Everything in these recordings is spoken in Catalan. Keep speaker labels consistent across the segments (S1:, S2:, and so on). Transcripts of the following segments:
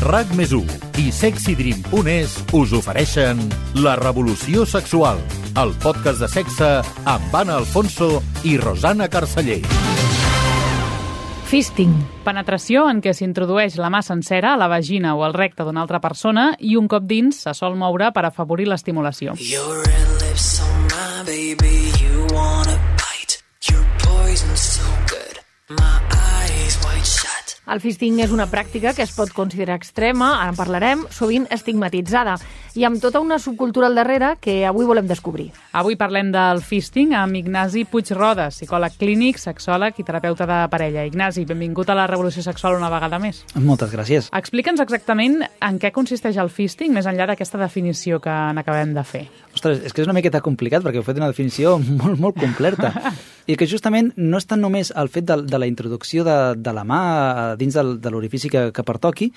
S1: RAC+1 i SexyDream.es us ofereixen La Revolució Sexual, el podcast de sexe amb Anna Alfonso i Rosana Carceller.
S2: Fisting.
S3: Penetració en què s'introdueix la mà sencera a la vagina o al recte d'una altra persona i un cop dins se sol moure per afavorir l'estimulació.
S4: Your red lips on my baby, you wanna bite. Your poison so good, my eyes wide shut.
S2: El fisting és una pràctica que es pot considerar extrema, ara en parlarem, sovint estigmatitzada, i amb tota una subcultura al darrere que avui volem descobrir.
S3: Avui parlem del fisting amb Ignasi Puig-Rodes, psicòleg clínic, sexòleg i terapeuta de parella. Ignasi, benvingut a la Revolució Sexual una vegada més.
S5: Moltes gràcies.
S3: Explica'ns exactament en què consisteix el fisting, més enllà d'aquesta definició que n'acabem de fer.
S5: Ostres, és que és una miqueta complicat perquè heu fet una definició molt completa. I que justament no és tant només el fet de la introducció de la mà dins de l'orifici que pertoqui,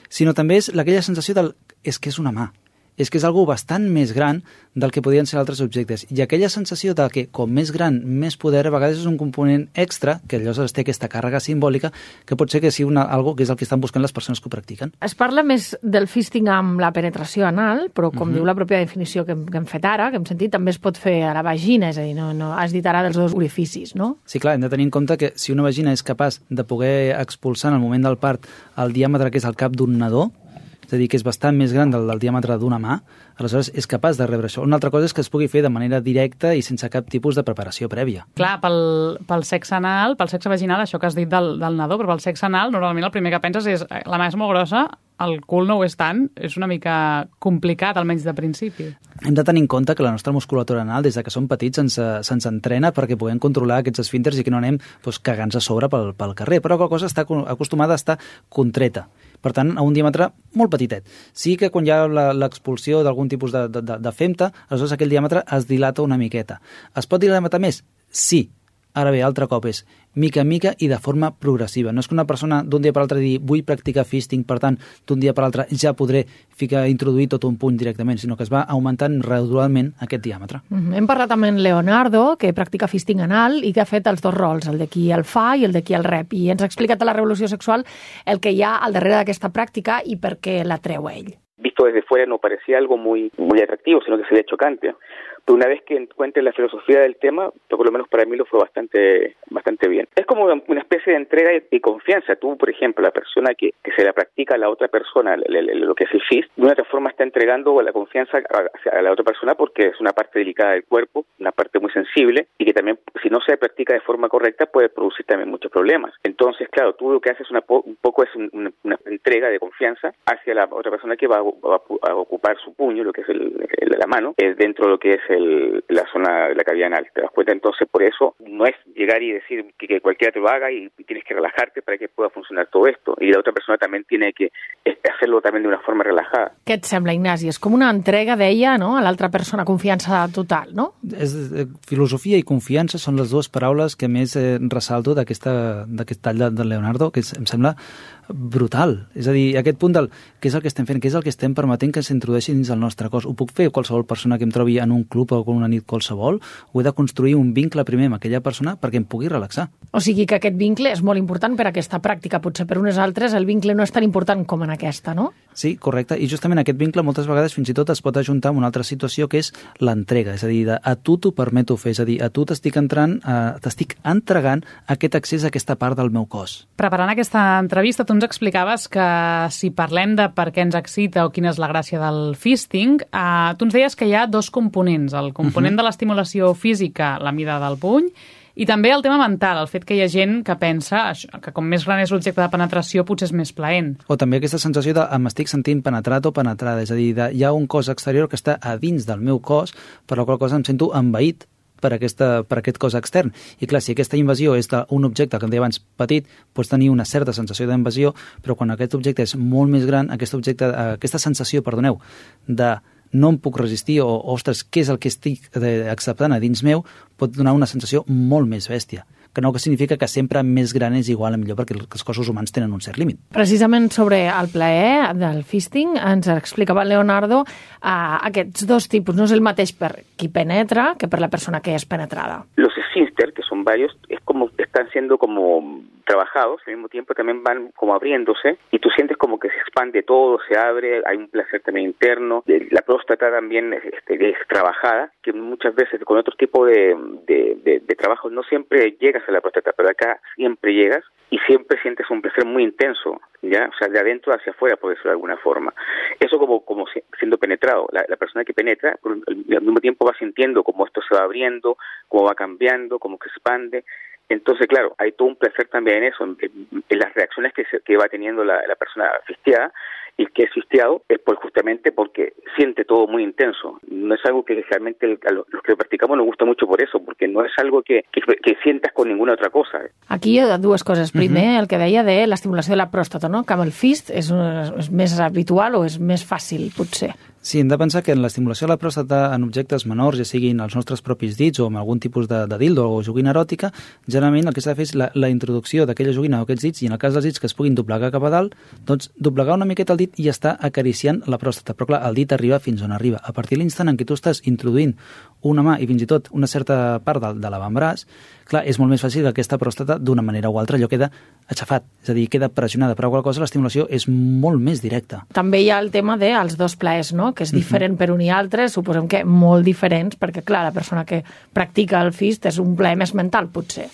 S5: sinó també és aquella sensació és que és una mà. És que és algo bastant més gran del que podien ser altres objectes. I aquella sensació de que, com més gran, més poder, a vegades és un component extra, que llavors té aquesta càrrega simbòlica, que pot ser que sigui algo que és el que estan buscant les persones que ho practiquen.
S2: Es parla més del fisting amb la penetració anal, però com diu la pròpia definició que hem fet ara, que hem sentit, també es pot fer a la vagina, és a dir, no has dit ara dels dos orificis, no?
S5: Sí, clar, hem de tenir en compte que si una vagina és capaç de poder expulsar en el moment del part el diàmetre que és el cap d'un nadó, és a dir, que és bastant més gran del diàmetre d'una mà, aleshores és capaç de rebre això. Una altra cosa és que es pugui fer de manera directa i sense cap tipus de preparació prèvia.
S3: Clar, pel sexe anal, pel sexe vaginal, això que has dit del nadó, però pel sexe anal, normalment el primer que penses és la mà és molt grossa, el cul no ho és tant, és una mica complicat, almenys de principi.
S5: Hem de tenir en compte que la nostra musculatura anal, des que som petits, se'ns entrena perquè puguem controlar aquests esfínters i que no anem cagant-se a sobre pel carrer, però qualque cosa està acostumada a estar contreta. Per tant, a un diàmetre molt petitet. Sí que quan hi ha l'expulsió d'algun tipus de femta, aleshores aquell diàmetre es dilata una miqueta. Es pot dilatar més? Sí. Ara bé, altre cop és mica en mica i de forma progressiva. No és que una persona d'un dia per l'altre digui vull practicar fisting, per tant, d'un dia per l'altre ja podré introduir tot un puny directament, sinó que es va augmentant gradualment aquest diàmetre.
S2: Hem parlat amb en Leonardo, que practica fisting anal i que ha fet els dos rols, el de qui el fa i el de qui el rep. I ens ha explicat a la Revolució Sexual el que hi ha al darrere d'aquesta pràctica i per què l'atreu a ell.
S6: Visto desde fuera no parecía algo muy atractivo, sino que se veía chocante. Pero una vez que encuentre la filosofía del tema, por lo menos para mí lo fue bastante bien. Es como una especie de entrega y confianza. Tú, por ejemplo, la persona que se la practica a la otra persona, lo que es el fist, de una otra forma está entregando la confianza a la otra persona porque es una parte delicada del cuerpo, una parte muy sensible y que también, si no se practica de forma correcta, puede producir también muchos problemas. Entonces, claro, tú lo que haces un poco es una entrega de confianza hacia la otra persona que va a ocupar su puño, lo que es la mano, dentro de lo que es la zona de la cavidad anal. ¿Te das cuenta? Entonces, por eso no es llegar y decir que cualquiera te lo haga y tienes que relajarte para que pueda funcionar todo esto. Y la otra persona también tiene que hacerlo también de una forma relajada.
S2: Què et sembla, Ignasi? És com una entrega d'ella, no?, a l'altra persona, confiança total, no?
S5: Filosofia i confiança són les dues paraules que més ressalto d'aquest tall de Leonardo, que em sembla brutal. És a dir, aquest punt del què és el que estem fent, què és el que estem permetent que s'introdueixi dins el nostre cos. Ho puc fer qualsevol persona que em trobi en un club o en una nit qualsevol? O he de construir un vincle primer amb aquella persona perquè em pugui relaxar?
S2: O sigui que aquest vincle és molt important per a aquesta pràctica. Potser per unes altres el vincle no és tan important com en aquesta, no?
S5: Sí, correcte. I justament aquest vincle moltes vegades fins i tot es pot ajuntar amb una altra situació que és l'entrega. És a dir, a tu t'ho permeto fer. És a dir, a tu t'estic entregant aquest accés a aquesta part del meu cos.
S3: Preparant aquesta entrevista, tu ens explicaves que si parlem de per què ens excita o quina és la gràcia del fisting, tu ens deies que hi ha dos components, el component de l'estimulació física, la mida del puny, i també el tema mental, el fet que hi ha gent que pensa que com més gran és l'objecte de penetració potser és més plaent.
S5: O també aquesta sensació de m'estic sentint penetrat o penetrada, és a dir, hi ha un cos exterior que està a dins del meu cos, per la qual cosa em sento envaït per aquest cos extern. I clar, si aquesta invasió és d'un objecte, que em deia abans, petit, pots tenir una certa sensació d'invasió, però quan aquest objecte és molt més gran, aquesta sensació, de no em puc resistir o, ostres, què és el que estic acceptant a dins meu, pot donar una sensació molt més bèstia. Que no significa que sempre més gran és igual a millor, perquè els cossos humans tenen un cert límit.
S2: Precisament sobre el plaer del fisting ens explicava Leonardo aquests dos tipus. No és el mateix per qui penetra que per la persona que és penetrada.
S6: Los esfínter, que son varios, están siendo como trabajados, al mismo tiempo también van como abriéndose y tú sientes como que se expande todo, se abre, hay un placer también interno. La próstata también es trabajada, que muchas veces con otro tipo de trabajo no siempre llegas a la próstata, pero acá siempre llegas y siempre sientes un placer muy intenso, ¿ya? O sea, de adentro hacia afuera, por decirlo de alguna forma. Eso como siendo penetrado. La persona que penetra, al mismo tiempo va sintiendo cómo esto se va abriendo, cómo va cambiando, cómo que expande. Entonces, claro, hay todo un placer también en eso, en las reacciones que va teniendo la persona fisteada, y que es fisteado es justamente porque siente todo muy intenso. No es algo que realmente los que lo practicamos nos gusta mucho por eso, porque no es algo que sientas con ninguna otra cosa.
S2: Aquí hi ha dues coses. Primer, el que deia de l'estimulació de la pròstata, no? Que amb el fist és més habitual o és més fàcil, potser.
S5: Sí, hem de pensar que en l'estimulació de la pròstata en objectes menors, ja siguin els nostres propis dits o amb algun tipus de dildo o joguina eròtica, generalment el que s'ha de fer és la introducció d'aquella joguina o aquests dits, i en el cas dels dits que es puguin doblegar cap a dalt, doncs doblegar una miqueta el dit i està acariciant la pròstata. Però clar, el dit arriba fins on arriba. A partir de l'instant en què tu estàs introduint una mà i fins i tot una certa part de l'avantbraç, clar, és molt més fàcil que aquesta pròstata d'una manera o altra allò queda aixafat, és a dir, queda pressionada, però qual cosa l'estimulació és molt més directa.
S2: També hi ha el tema dels dos plaers, no? Que és diferent per un i altre, suposem que molt diferents, perquè clar, la persona que practica el fist és un plaer més mental, potser.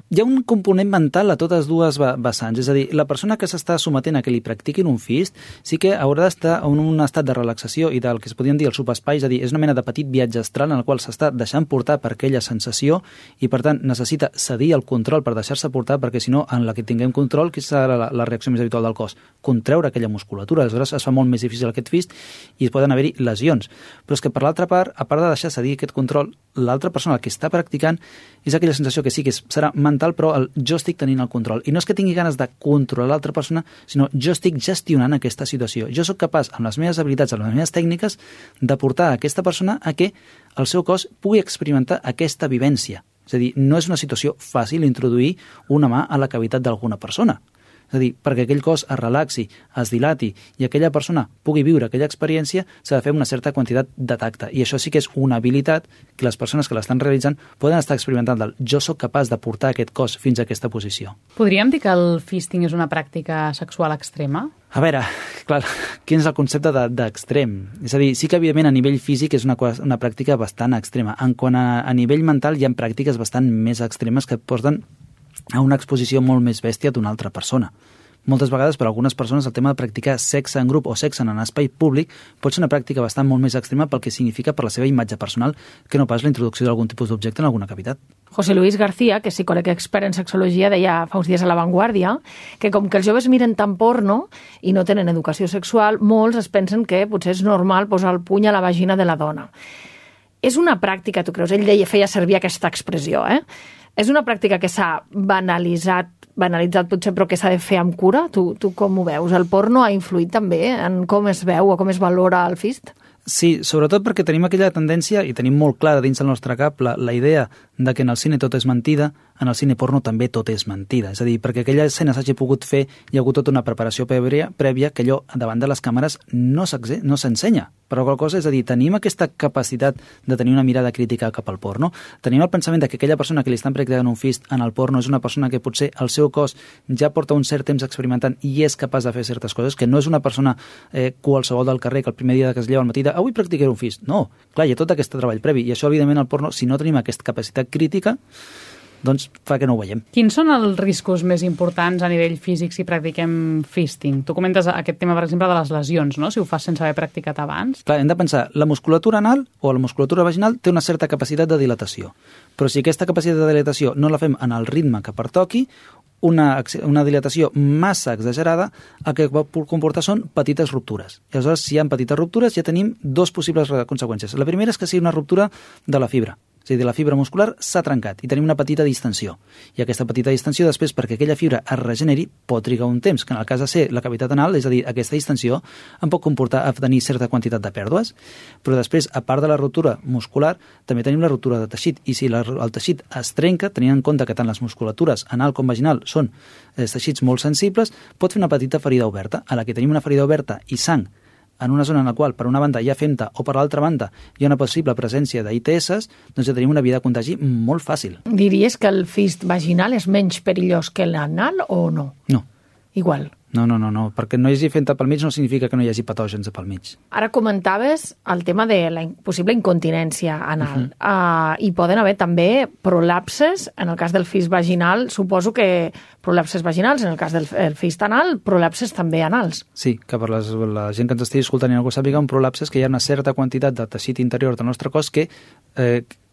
S5: Hi ha un component mental a totes dues vessants, és a dir, la persona que s'està sometent a que li practiquin un fist sí que haurà d'estar en un estat de relaxació i del que es podien dir el subespai, és a dir, és una mena de petit viatge astral en el qual s'està deixant portar per aquella sensació i, per tant, necessita cedir el control per deixar-se portar, perquè si no, en la que tinguem control, que serà la reacció més habitual del cos? Contreure aquella musculatura. Aleshores es fa molt més difícil aquest fist i poden haver-hi lesions. Però és que, per l'altra part, a part de deixar cedir aquest control, l'altra persona, que està practicant, és aquella sensació que sí que serà mental, però jo estic tenint el control. I no és que tingui ganes de controlar l'altra persona, sinó jo estic gestionant aquesta situació. Jo sóc capaç, amb les meves habilitats, amb les meves tècniques, de portar a aquesta persona a que el seu cos pugui experimentar aquesta vivència. És a dir, no és una situació fàcil introduir una mà a la cavitat d'alguna persona. És a dir, perquè aquell cos es relaxi, es dilati i aquella persona pugui viure aquella experiència, s'ha de fer una certa quantitat de tacte. I això sí que és una habilitat que les persones que l'estan realitzant poden estar experimentant del jo sóc capaç de portar aquest cos fins a aquesta posició.
S3: Podríem dir que el fisting és una pràctica sexual extrema?
S5: A veure, clar, quin és el concepte d'extrem? És a dir, sí que evidentment a nivell físic és una pràctica bastant extrema. En quant a nivell mental hi ha pràctiques bastant més extremes que porten a una exposició molt més bèstia d'una altra persona. Moltes vegades, per a algunes persones, el tema de practicar sexe en grup o sexe en espai públic pot ser una pràctica bastant molt més extrema pel que significa per la seva imatge personal que no pas la introducció d'algun tipus d'objecte en alguna cavitat.
S2: José Luis García, que és psicòleg expert en sexologia, deia fa uns dies a La Vanguardia que com que els joves miren tant porno i no tenen educació sexual, molts es pensen que potser és normal posar el puny a la vagina de la dona. És una pràctica, tu creus? Ell feia servir aquesta expressió, És una pràctica que s'ha banalitzat potser, però que s'ha de fer amb cura? Tu com ho veus? El porno ha influït també en com es veu o com es valora el fist?
S5: Sí, sobretot perquè tenim aquella tendència, i tenim molt clara dins del nostre cap la idea de que en el cine tot és mentida, en el cine porno també tot és mentida. És a dir, perquè aquella escena s'hagi pogut fer, hi ha hagut tota una preparació prèvia que allò davant de les càmeres no s'ensenya. Però qual cosa, és a dir, tenim aquesta capacitat de tenir una mirada crítica cap al porno, tenim el pensament de que aquella persona que li estan practicant un fist en el porno és una persona que potser el seu cos ja porta un cert temps experimentant i és capaç de fer certes coses, que no és una persona qualsevol del carrer que el primer dia que es lleva al matí avui practicaré un fist. No, clar, hi ha tot aquest treball previ, i això, evidentment, el porno, si no tenim aquesta capacitat crítica, doncs fa que no ho veiem.
S3: Quins són els riscos més importants a nivell físic si practiquem fisting? Tu comentes aquest tema, per exemple, de les lesions, no? Si ho fas sense haver practicat abans.
S5: Clar, hem de pensar, la musculatura anal o la musculatura vaginal té una certa capacitat de dilatació, però si aquesta capacitat de dilatació no la fem en el ritme que pertoqui, una dilatació massa exagerada, el que pot comportar són petites ruptures. I aleshores, si hi ha petites ruptures, ja tenim dos possibles conseqüències. La primera és que sigui una ruptura de la fibra. És a dir, la fibra muscular s'ha trencat i tenim una petita distensió. I aquesta petita distensió, després, perquè aquella fibra es regeneri, pot trigar un temps, que en el cas de ser la cavitat anal, és a dir, aquesta distensió, en pot comportar a tenir certa quantitat de pèrdues. Però després, a part de la ruptura muscular, també tenim la ruptura de teixit. I si el teixit es trenca, tenint en compte que tant les musculatures anal com vaginal són teixits molt sensibles, pot fer una petita ferida oberta. A la que tenim una ferida oberta i sang en una zona en la qual per una banda hi ha femta o per l'altra banda hi ha una possible presència d'ITS, doncs ja tenim una via de contagi molt fàcil.
S2: Diries que el fist vaginal és menys perillós que l'anal o no?
S5: No.
S2: Igual.
S5: No, perquè no hi hagi femta pel mig no significa que no hi hagi patògens pel mig.
S2: Ara comentaves el tema de la possible incontinència anal. Hi poden haver també prolapses, en el cas del fist vaginal, suposo que prolapses vaginals, en el cas del fist anal, prolapses també anals.
S5: Sí, que per la gent que ens estigui escoltant i no ho sàpiga, un prolapse és que hi ha una certa quantitat de teixit interior del nostre cos que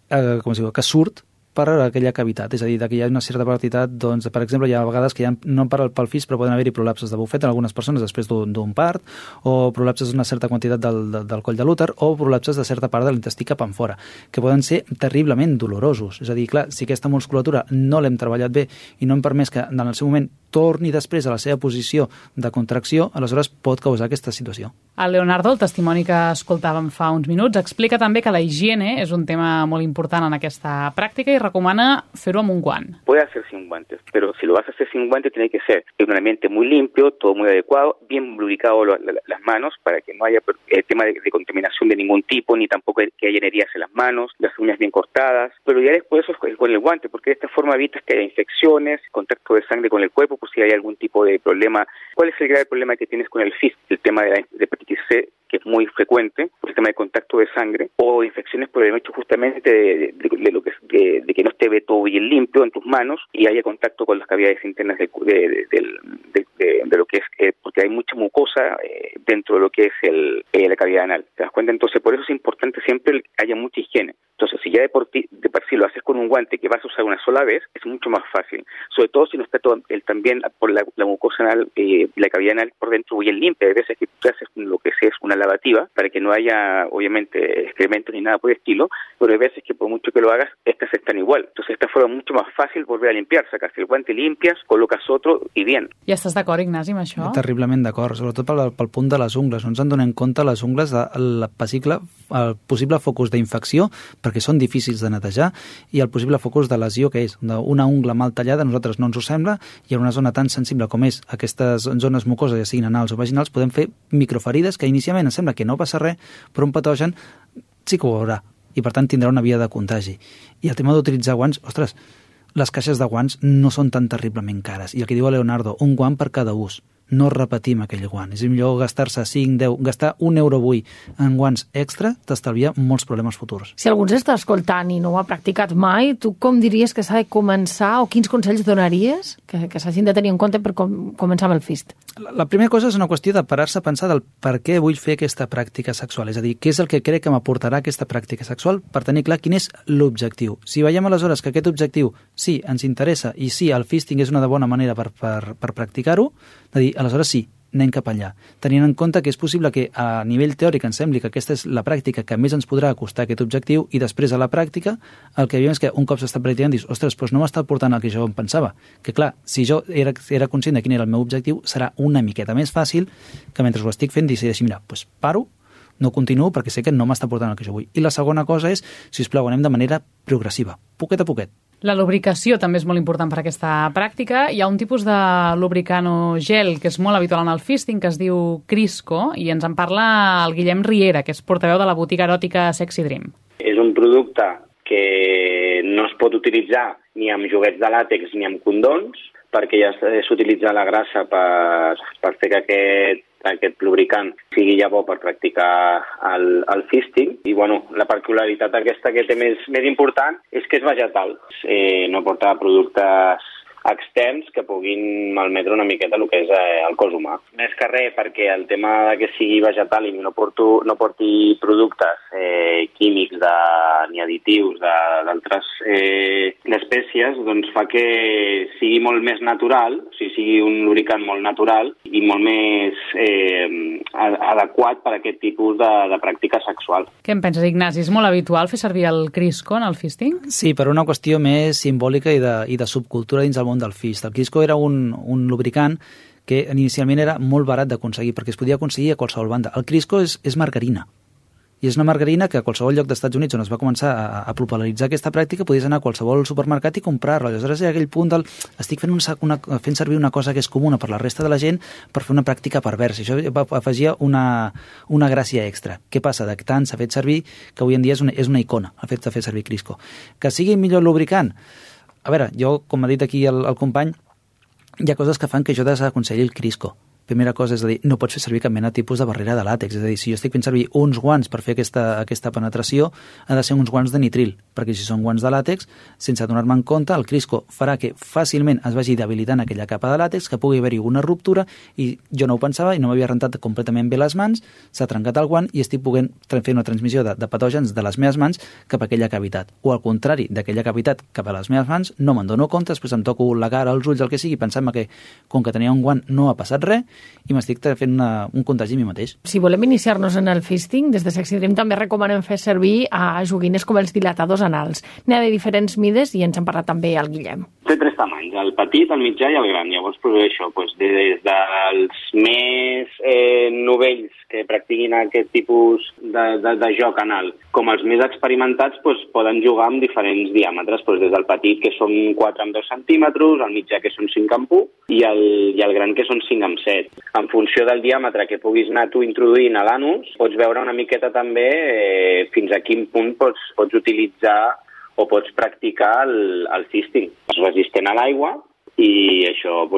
S5: que surt per aquella cavitat, és a dir, que hi ha una certa quantitat, doncs, per exemple, hi ha vegades que no pel fist, però poden haver-hi prolapses de bufet en algunes persones després d'un part, o prolapses d'una certa quantitat del coll de l'úter, o prolapses de certa part de l'intestí cap en fora, que poden ser terriblement dolorosos. És a dir, clar, si aquesta musculatura no l'hem treballat bé i no hem permès que en el seu moment torni després a la seva posició de contracció, aleshores pot causar aquesta situació.
S3: El Leonardo, el testimoni que escoltàvem fa uns minuts, explica també que la higiene és un tema molt important en aquesta pràctica i recomana fer-ho amb un guant.
S6: Puede hacer sin guantes, pero si lo vas a hacer sin guantes tiene que ser en un ambiente muy limpio, todo muy adecuado, bien lubricado las manos para que no haya tema de contaminación de ningún tipo, ni tampoco que haya heridas en las manos, las uñas bien cortadas, pero ya después eso es con el guante, porque de esta forma evitas que haya infecciones, contacto de sangre con el cuerpo, por si hay algún tipo de problema. ¿Cuál es el grave problema que tienes con el fist? El tema de hepatitis C, que es muy frecuente, por el tema de contacto de sangre, o infecciones por el hecho justamente de que no esté todo bien limpio en tus manos y haya contacto con las cavidades internas de lo que es, porque hay mucha mucosa dentro de lo que es la cavidad anal. ¿Te das cuenta? Entonces, por eso es importante siempre que haya mucha higiene. Entonces, si ya de por sí lo haces con un guante que vas a usar una sola vez, es mucho más fácil. Sobre todo si no está también por la mucosa anal, la cavidad anal por dentro bien limpia. Hay veces que tú haces lo que sea es una lavativa para que no haya, obviamente, excrementos ni nada por el estilo, pero hay veces que por mucho que lo hagas, estas están igual. Entonces, de esta forma es mucho más fácil volver a limpiar. Sacas el guante, limpias, colocas otro y bien.
S3: Ja estàs d'acord, Ignasi, amb això?
S5: Terriblement d'acord, sobretot pel punt de les ungles. No ens en donem compte les ungles del possible focus d'infecció, perquè són difícils de netejar, i el possible focus de lesió que és una ungla mal tallada, a nosaltres no ens ho sembla, i en una zona tan sensible com és aquestes zones mucoses, ja siguin anals o vaginals, podem fer microferides que inicialment ens sembla que no passa res, però un patogen sí que ho veurà, i per tant tindrà una via de contagi. I el tema d'utilitzar guants, ostres, les caixes de guants no són tan terriblement cares. I el que diu Leonardo, un guant per cada ús. No repetim aquell guant. És millor gastar-se 5, 10, gastar €1 avui en guants extra t'estalvia molts problemes futurs.
S2: Si algú ens està escoltant i no ho ha practicat mai, tu com diries que s'ha de començar o quins consells donaries que s'hagin de tenir en compte per començar amb el fist?
S5: La primera cosa és una qüestió de parar-se a pensar del per què vull fer aquesta pràctica sexual. És a dir, què és el que crec que m'aportarà aquesta pràctica sexual per tenir clar quin és l'objectiu. Si veiem aleshores que aquest objectiu sí, ens interessa i sí, el fisting és una bona manera per practicar-ho, de dir, aleshores sí, anem cap allà. Tenint en compte que és possible que a nivell teòric ens sembli que aquesta és la pràctica que més ens podrà acostar aquest objectiu i després a la pràctica el que veiem és que un cop s'està practicant dius, ostres, doncs no m'està portant el que jo em pensava. Que clar, si jo era conscient de quin era el meu objectiu, serà una miqueta més fàcil que mentre ho estic fent decideixi, mira, doncs paro, no continuo perquè sé que no m'està portant el que jo vull. I la segona cosa és, sisplau, anem de manera progressiva, poquet a poquet.
S3: La lubricació també és molt important per aquesta pràctica. Hi ha un tipus de lubricant o gel que és molt habitual en el fisting, que es diu Crisco, i ens en parla el Guillem Riera, que és portaveu de la botiga eròtica Sexy Dream.
S7: És un producte que no es pot utilitzar ni amb joguets de làtex ni amb condons, perquè ja s'utilitza la grassa per fer que aquest lubricant sigui ja bo per practicar el fisting. I bueno, la particularitat aquesta que té més important és que és vegetal. No porta productes externs que puguin malmetre una miqueta el que és el cos humà. Més que res perquè el tema de que sigui vegetal i no porti productes químics ni additius d'altres espècies, doncs fa que sigui molt més natural, o sigui un lubricant molt natural i molt més adequat per a aquest tipus de pràctica sexual.
S3: Què en penses, Ignasi? És molt habitual fer servir el Crisco en el fisting?
S5: Sí, per una qüestió més simbòlica i de subcultura dins el món del fist. El Crisco era un lubricant que inicialment era molt barat d'aconseguir, perquè es podia aconseguir a qualsevol banda. El Crisco és margarina. I és una margarina que a qualsevol lloc d'Estats Units on es va començar a popularitzar aquesta pràctica podies anar a qualsevol supermercat i comprar-la. Aleshores, hi ha aquell punt del estic fent servir una cosa que és comuna per la resta de la gent per fer una pràctica perversa. Això afegia una gràcia extra. Què passa? De tant s'ha fet servir que avui en dia és una icona, el fet de fer servir Crisco. Que sigui millor lubricant? A veure, jo, com ha dit aquí el company, hi ha coses que fan que jo desaconselli el Crisco. Primera cosa és a dir, no pots fer servir cap mena de tipus de barrera de làtex. És a dir, si jo estic fent servir uns guants per fer aquesta penetració, ha de ser uns guants de nitril, perquè si són guants de làtex, sense donar-me en compte, el Crisco farà que fàcilment es vagi debilitant aquella capa de làtex, que pugui haver-hi una ruptura, i jo no ho pensava i no m'havia rentat completament bé les mans, s'ha trencat el guant i estic podent fer una transmissió de patògens de les meves mans cap a aquella cavitat. O al contrari, d'aquella cavitat cap a les meves mans, no me'n dono compte, després em toco la cara, els ulls, el que sigui, pensant-me que, com que tenia un guant, no ha passat res, i m'estic fent un contagi a mi mateix.
S2: Si volem iniciar-nos en el fisting, des de Sexy Dream també recomanem fer servir a joguines com els dilatadors anals. N'hi ha de diferents mides i ens en parla també el Guillem.
S7: Té 3 tamanys, el petit, el mitjà i el gran. Llavors, això, des dels més novells que practiquin aquest tipus de joc anal, com els més experimentats, poden jugar amb diferents diàmetres, des del petit, que són 4 amb 2 centímetres, el mitjà, que són 5 amb 1, i el gran, que són 5 amb 7. En funció del diàmetre que puguis anar tu introduint a l'anus, pots veure una miqueta també fins a quin punt pots utilitzar o pots practicar el fisting. És resistent a l'aigua i això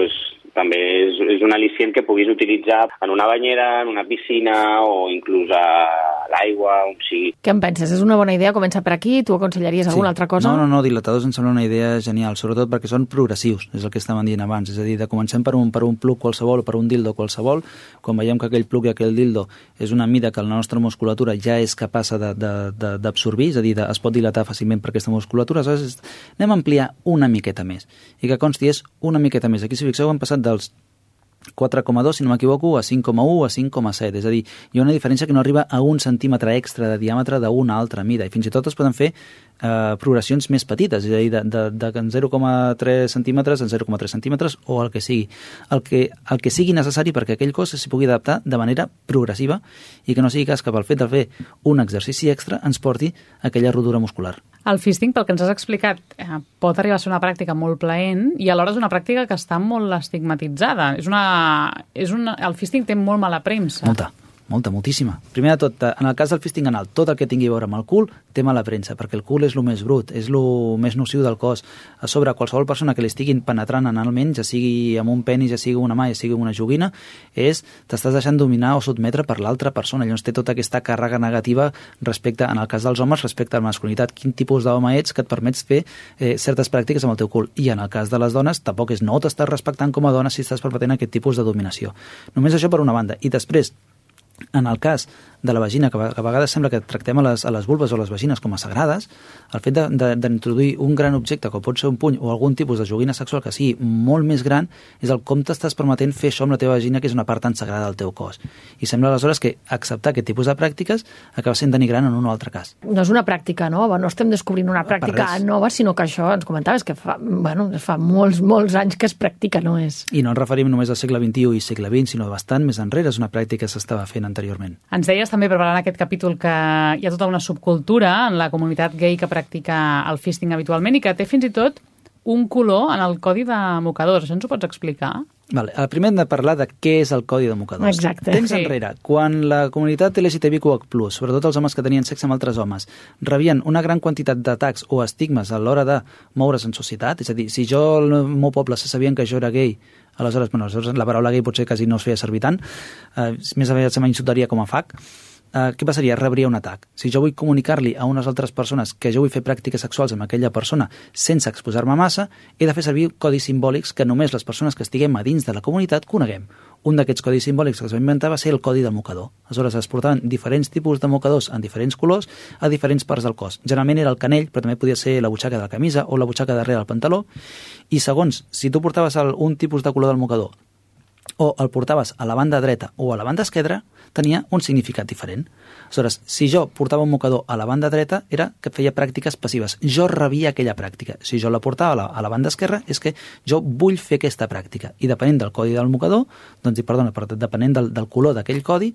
S7: també és un al·licient que puguis utilitzar en una banyera, en una piscina o inclús a l'aigua, on sigui.
S2: Què en penses? És una bona idea començar per aquí? Tu aconsellaries alguna altra cosa?
S5: No, dilatadors em sembla una idea genial, sobretot perquè són progressius, és el que estàvem dient abans, és a dir, comencem per un plug qualsevol o per un dildo qualsevol, quan veiem que aquell plug i aquell dildo és una mida que la nostra musculatura ja és capaç d'absorbir, és a dir, es pot dilatar fàcilment per aquesta musculatura, aleshores anem a ampliar una miqueta més, i que consti és una miqueta més. Aquí, si fixeu, hem passat dels 4,2, si no m'equivoco, a 5,1 a 5,7. És a dir, hi ha una diferència que no arriba a 1 centímetre extra de diàmetre d'una altra mida. I fins i tot es poden fer progressions més petites, és a dir, de 0,3 centímetres en 0,3 centímetres o el que sigui. El que sigui necessari perquè aquell cos s'hi pugui adaptar de manera progressiva i que no sigui cas que pel fet de fer un exercici extra ens porti a aquella rodura muscular.
S3: El fisting, pel que ens has explicat, pot arribar a ser una pràctica molt plaent i alhora és una pràctica que està molt estigmatitzada. El fisting té molt mala premsa.
S5: Moltíssima. Primer de tot, en el cas del fisting anal, tot el que tingui a veure amb el cul té mala premsa, perquè el cul és el més brut, és el més nociu del cos. A sobre, qualsevol persona que li estiguin penetrant analment, ja sigui amb un penis, ja sigui una mà, ja sigui una joguina, t'estàs deixant dominar o sotmetre per l'altra persona. Llavors té tota aquesta càrrega negativa respecte, en el cas dels homes, respecte a la masculinitat. Quin tipus d'home ets que et permets fer certes pràctiques amb el teu cul? I en el cas de les dones, tampoc no t'estàs respectant com a dona si estàs permetent aquest tipus de dominació. Només això per una banda. I després, en el cas de la vagina, que a vegades sembla que tractem a les vulves o les vagines com a sagrades, el fet d'introduir un gran objecte, com pot ser un puny o algun tipus de joguina sexual que sigui molt més gran, és el com t'estàs permetent fer això amb la teva vagina, que és una part tan sagrada del teu cos. I sembla aleshores que acceptar aquest tipus de pràctiques acaba sent denigrant en un o altre cas.
S2: No és una pràctica nova, no estem descobrint una pràctica nova, sinó que això, ens comentaves, que fa molts anys que es practica, no és?
S5: I no ens referim només al segle XXI i segle XX, sinó bastant més enrere, és una pràctica que s'estava fent anteriorment.
S3: Ens deies també preparant aquest capítol que hi ha tota una subcultura en la comunitat gay que practica el fisting habitualment i que té fins i tot un color en el codi de mocadors. Això ens ho pots explicar?
S5: Vale. El primer hem de parlar de què és el codi de mocadors.
S2: Exacte.
S5: Temps enrere, quan la comunitat LGTBIQ+, sobretot els homes que tenien sexe amb altres homes, rebien una gran quantitat d'atacs o estigmes a l'hora de moure's en societat, és a dir, si jo al meu poble se sabien que jo era gay, aleshores la paraula gay potser quasi no es feia servir tant, més aviat se m'insultaria com a fac. Què passaria? Rebria un atac. Si jo vull comunicar-li a unes altres persones que jo vull fer pràctiques sexuals amb aquella persona sense exposar-me massa, he de fer servir codis simbòlics que només les persones que estiguem a dins de la comunitat coneguem. Un d'aquests codis simbòlics que es va inventar va ser el codi del mocador. Aleshores es portaven diferents tipus de mocadors en diferents colors a diferents parts del cos. Generalment era el canell, però també podia ser la butxaca de la camisa o la butxaca darrere del pantaló. I segons, si tu portaves un tipus de color del mocador o el portaves a la banda dreta o a la banda esquerra, tenia un significat diferent. Aleshores, si jo portava un mocador a la banda dreta, era que feia pràctiques passives. Jo rebia aquella pràctica. Si jo la portava a la banda esquerra, és que jo vull fer aquesta pràctica. I depenent del codi del mocador, depenent del color d'aquell codi,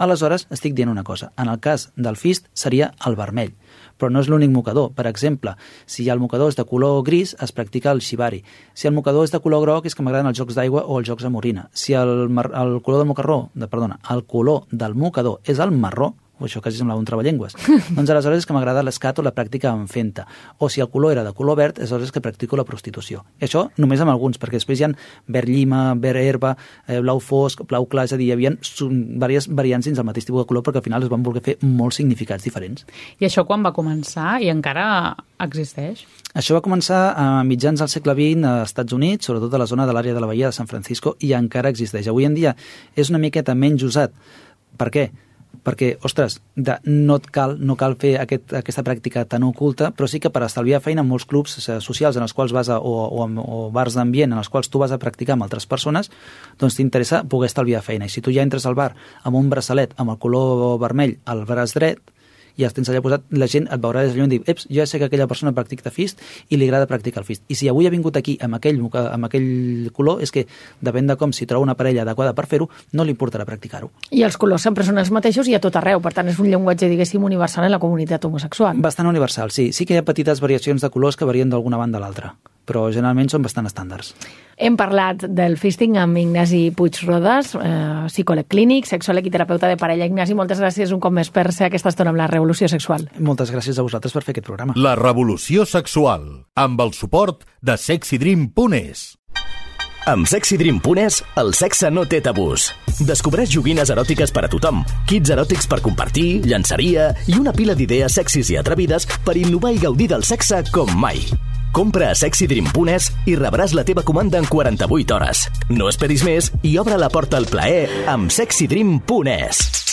S5: Aleshores, estic dient una cosa. En el cas del fist seria el vermell, però no és l'únic mocador. Per exemple, si el mocador és de color gris, es practica el shibari. Si el mocador és de color groc, és que m'agraden els jocs d'aigua o els jocs amb orina. Si el color del mocador és el marró, o això quasi semblava un treballengües, doncs aleshores és que m'agrada l'escat o la pràctica amb fenta. O si el color era de color verd, aleshores que practico la prostitució. I això només amb alguns, perquè després hi ha verd llima, verd herba, blau fosc, blau clar, és a dir, hi havia diverses variants dins del mateix tipus de color perquè al final es van voler fer molts significats diferents.
S3: I això quan va començar i encara existeix?
S5: Això va començar a mitjans del segle XX als Estats Units, sobretot a la zona de l'àrea de la Bahia de San Francisco, i encara existeix. Avui en dia és una miqueta menys usat. Per què? Perquè, ostres, no cal fer aquesta pràctica tan oculta, però sí que per estalviar feina en molts clubs socials en els quals vas o bars d'ambient en els quals tu vas a practicar amb altres persones, doncs t'interessa poder estalviar feina. I si tu ja entres al bar amb un braçalet amb el color vermell al braç dret, i els tens allà posat, la gent et veurà des d'allò i dir, eps, jo ja sé que aquella persona practica fist i li agrada practicar el fist. I si avui ha vingut aquí amb aquell color, és que depèn de com, si troba una parella adequada per fer-ho, no li importarà practicar-ho.
S2: I els colors sempre són els mateixos i a tot arreu, per tant és un llenguatge, diguéssim, universal en la comunitat homosexual.
S5: Bastant universal, sí. Sí que hi ha petites variacions de colors que varien d'alguna banda a l'altra, però generalment són bastant estàndards.
S2: Hem parlat del fisting amb Ignasi Puig-Rodas, psicòleg clínic, sexòleg i terapeuta de parella. Ignasi, moltes gràcies un cop més per ser aquesta estona amb la Revolució Sexual.
S5: Moltes gràcies a vosaltres per fer aquest programa.
S1: La Revolució Sexual, amb el suport de sexydream.es.
S8: Amb sexydream.es, el sexe no té tabús. Descobreix joguines eròtiques per a tothom, kits eròtics per compartir, llançaria i una pila d'idees sexis i atrevides per innovar i gaudir del sexe com mai. Compra a sexydream.es i rebràs la teva comanda en 48 hores. No esperis més i obre la porta al plaer amb sexydream.es.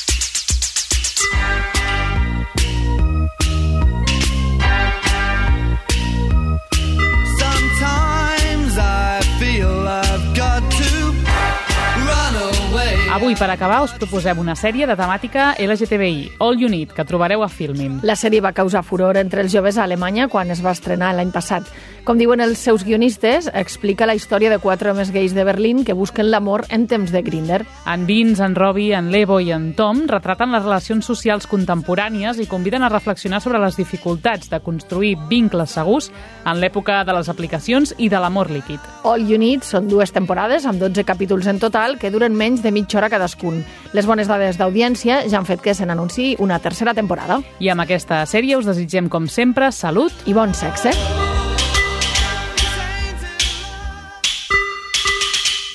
S3: Avui, per acabar, us proposem una sèrie de temàtica LGTBI, All You Need, que trobareu a Filmin.
S2: La sèrie va causar furor entre els joves a Alemanya quan es va estrenar l'any passat. Com diuen els seus guionistes, explica la història de 4 homes gais de Berlín que busquen l'amor en temps de Grindr.
S3: En Vince, en Robbie, en Levo i en Tom retraten les relacions socials contemporànies i conviden a reflexionar sobre les dificultats de construir vincles segurs en l'època de les aplicacions i de l'amor líquid.
S2: All You Need són 2 temporades amb 12 capítols en total que duren menys de mitja hora cadascun. Les bones dades d'audiència ja han fet que se n'anunciï una tercera temporada.
S3: I amb aquesta sèrie us desitgem, com sempre, salut
S2: i bon sexe.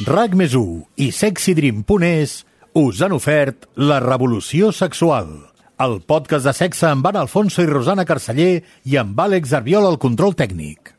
S1: RAC+1 i sexydream.es us han ofert La Revolució Sexual, el podcast de sexe amb Anna Alfonso i Rosana Carceller i amb Àlex Arbiol al control tècnic.